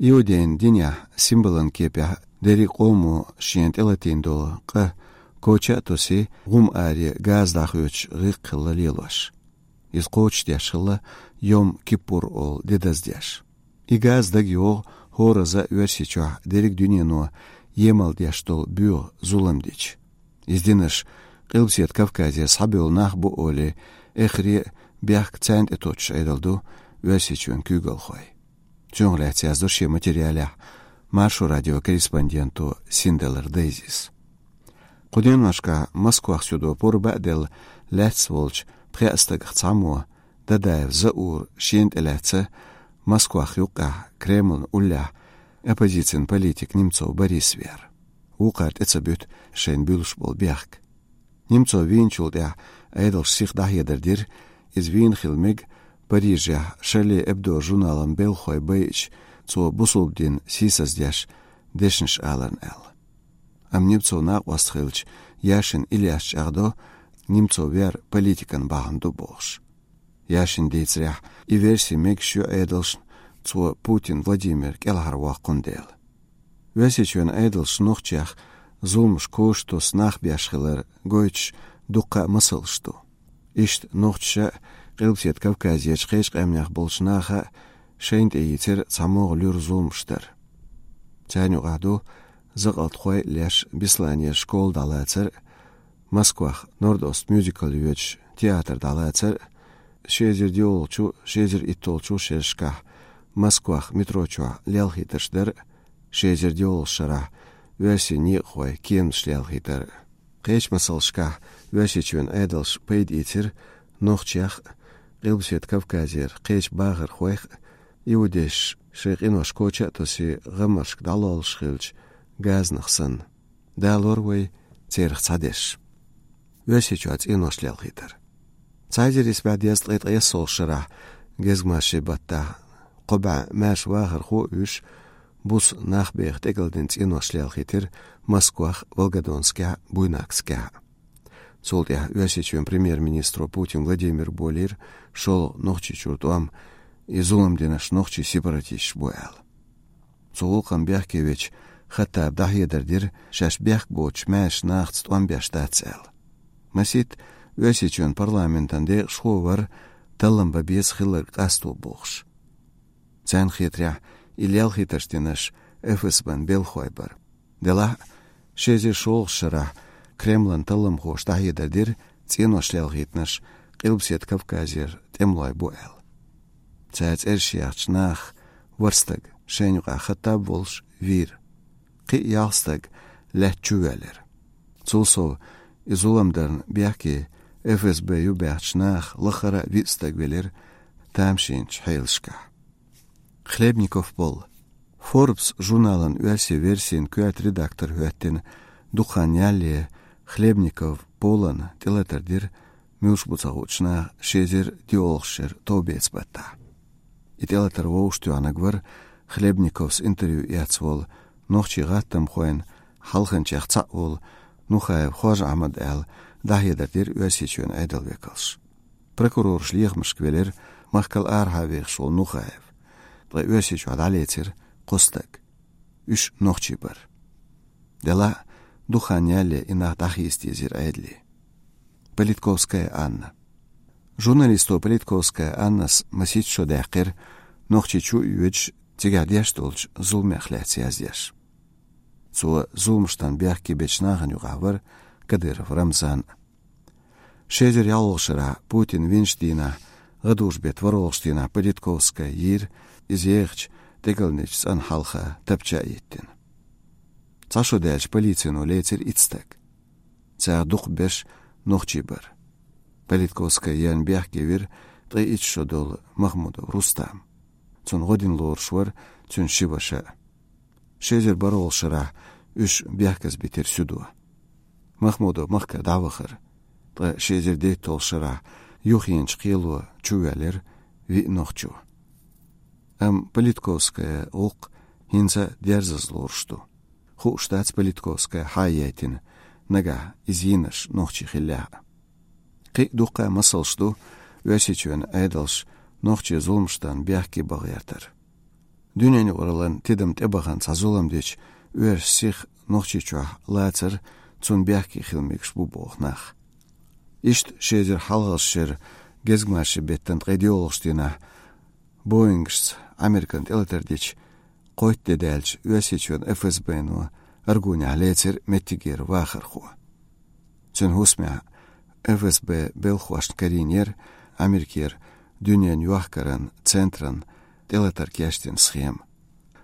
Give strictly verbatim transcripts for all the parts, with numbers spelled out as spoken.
Иудейн динехь символан кепехь дерриг къомо шена тӀелатийна долу къа коча а тосий, гӀум аре газа дӀахоьцуш гӀирс хилла лелош. Иза кхочушдеш хилла Йом-Киппур олу де даздеш. И газа дага йогӀу хӀораза а Оьрсийчохь дерриг дуьнено емал деш долу боьха зулам дича. Иза динарш Къилбаседа Кавказера схьабевлла нах бу олий, эххар а бехк царна тӀе тоттуш Ӏедал ду Оьрсийчоьнан куьйгалхой. Цунах лаьцна яздо шен материалехь Маршо радион корреспонденто Синдалар Дейзис. Кху деношкахь Москвахь суьдо пурба а делла, лаьцна волчу пхеа стагах цхьаммо, Дадаев Заур, шена тӀелаьцна Москвахь юккъехь Кремлан уллехь оппозицин политик Немцов Борис веара. Вукхара тӀе ца буьту шайна буьллуш болу бехк. Немцов вийначул тӀаьхьа Ӏедалша сиха дӀахьедар дира, иза вийна хила мега Парижехь Шарли Эбдо журналан белхахой байича, цо бусалба дин сийсаздеш дешнаш аларна аьлла. Амма Немцов накъост хилча, Яшин Ильяс чӀагӀдо, Немцов вер политикан бахьана ду бохуш. Яшин дийцарехь, и верси мегаш ю Ӏедалшна, цо Путин Владимир кӀелхьарвоккхун дела. Оьрсийчоьнан Ӏедалша нохчех зуламаш кошатосса нах беш хилар гойтуш дуккха а масалш ду. Иштта нохчаша а, Къилбаседа Кавказерчу кхечу къаьмнех болчу наха а шайна тӀе йийцира цхьамогӀа луьра зуламаш дар. Царна юкъахь ду закъалтхой а леш Бесланера школа дӀалацар а, Москвахь Норд-Ост мюзикл йоьдуш театр дӀалацар а, ши эзар диъолгӀачу, ши эзар иттолгӀачу шерашкахь Москвахь метро чохь лелхийтарш дар а, ши эзар диъолгӀачу шарахь оьрсийн некъахой кеманаш лелхийтар а. Кхечу масалшкахь Оьрсийчоьнан Ӏедалша пайда ийцира нохчех а, Къилбаседа Кавказера кхечу бахархойх а, иудейша шайн къинош коча а тосий, гӀаммашка дӀалоллуш хилча газанах санна. Далор вай церах цхьадерш. Оьрсийчохь цӀенош лелхийтар. Цхьа эзар исс бӀе дезткъе ткъайоьссолгӀачу шарахь, гезгмашин баттахь, кхо бӀе маьрша вахархо а вуьйш, буса нах беха тӀекӀалдина цӀенош лелхийтира Москвахь, Волгодонскехь а, Буйнакскехь а. Цул тӀаьхьа Оьрсийчоьнан премьер-министро Путин Владимира болийра шолгӀа Нохчийчуьра тӀом, и зулам динарш нохчийн сепаратисташ бу аьлла. Цу гӀуллакхна бехке вечу Хаттаба дӀахьедар дира, шаьш бехк боцучу маьрша нахаца тӀом беш дац аьлла. Масийтта Оьрсийчоьнан парламентан декъашхо а вара, таллам бан беза хилларг къасто бохуш. Царна хетарехь, и лелхийтарш динарш ФСБ-н белхахой бара. Делахь а, ши эзар шолгӀачу шарахь Кремлан талламхоша дӀахьедар дира, цӀенош лелхийтинарш Къилбаседа Кавказера тӀемалой бу аьлла. Цара цӀераш яьхначу нахах ворхӀ стаг, шайна юкъахь Хаттаб волуш, вийра. Кхин а ялх стаг лаьтта чу воьллира. Цул сов, и зулам дарна бехке ФСБ юбаьхначу нахах лахара а виъ стаг велира тамашийначу хьелашкахь. Хлебников Пол. Forbes журналан оьрсийн версин коьрта редактор хӀоьттина дукха хан ялале Хлебников Полана тӀелатар дира муьлш бу ца хуучу наха ши эзар диъолгӀачу шеран товбеца баттахь. И тӀелатар вовшахтоьхнарг вара Хлебниковс интервью эцна волу, нохчийн гӀаттамхойн хьалханчех цхьаъ волу Нухаев Хож-Ахьмад аьлла, дӀахьедар дира Оьрсийчоьнан Ӏедалан векалша. Прокурораш лехамашка велира махкал арахьа вехаш волу Нухаев, ткъа Оьрсийчохь дӀалецира кхо стаг. Уьш нохчий бара. Делахь а, дукха хан ялале и нах дӀахийца дезира Ӏедале. Политковская Анна. Журналисто Политковская Аннас масийтта шо даьккхира, Нохчийчу а йоьдуш, цигахь деш долчу зуламех лаьцна яздеш. Цо зуламашна бехке бечу нахана юкъахь вара Кадыров Рамзан. Ши эзар ялхолгӀачу шарахь, Путин винчу дийнахь, гӀадужу-беттан ворхӀолгӀачу дийнахь Политковская йийра, иза ехачу тӀекӀалдинчу цӀанна хьалха тапча а йиттина. Цхьа шо даьлча, полицино лецира итт стаг. Царах дукхахберш нохчий бара. Политковская ерна бехке вира ткъе итт шо долу Махмудов Рустам. Цунна гӀо дина лоруш вара цуьнан ши ваша а. Ши эзар бархӀолгӀачу шарахь уьш бехказбитира суьдо. Махмудов махкара дӀавахара, ткъа ши эзар дейтталгӀачу шарахь юххенчу кхело чувоьллира виъ нохчо. Амма Политковская гӀуллакх хӀинца а дерзаза лоруш ду. Хууш дац, Политковская хьан яйтина, нагахь иза йийнарш нохчий хиллехь а. Кхин а дуккха а масалш ду Оьрсийчоьнан Ӏедалша нохчийн зуламашна бехке бан гӀертар. Дуьненаюкъараллин тидам тӀебахана цхьа зулам дича, оьрсийн сиха Нохчийчохь лацар цунна бехке хила мегаш бу боху нах. Иштта ши эзар хьалхалгӀачу шеран гезгмашин беттан ткъе доьалгӀачу дийнахь Боингашца Американа тӀелатар дича, кхойтта де даьлча, Оьрсийчоьнан ФСБ-но Аргунехь лецира меттигера вахархо. Цуьнан хӀусамехь ФСБ белхахошна карийнера Америкера дуьненан йохкаран центран тӀелатар кечдина схема.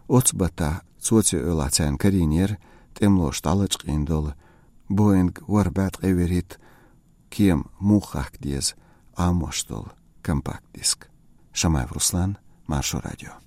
Оццу баттахь цо цу эвлахь царна карийнера тӀемалоша дӀалачкъийна долу Боинг ворхӀ бӀе ткъе вуьрхӀитта кема муха хахка деза Ӏамош долу компакт-диск. Шамаев Руслан, Маршо радио.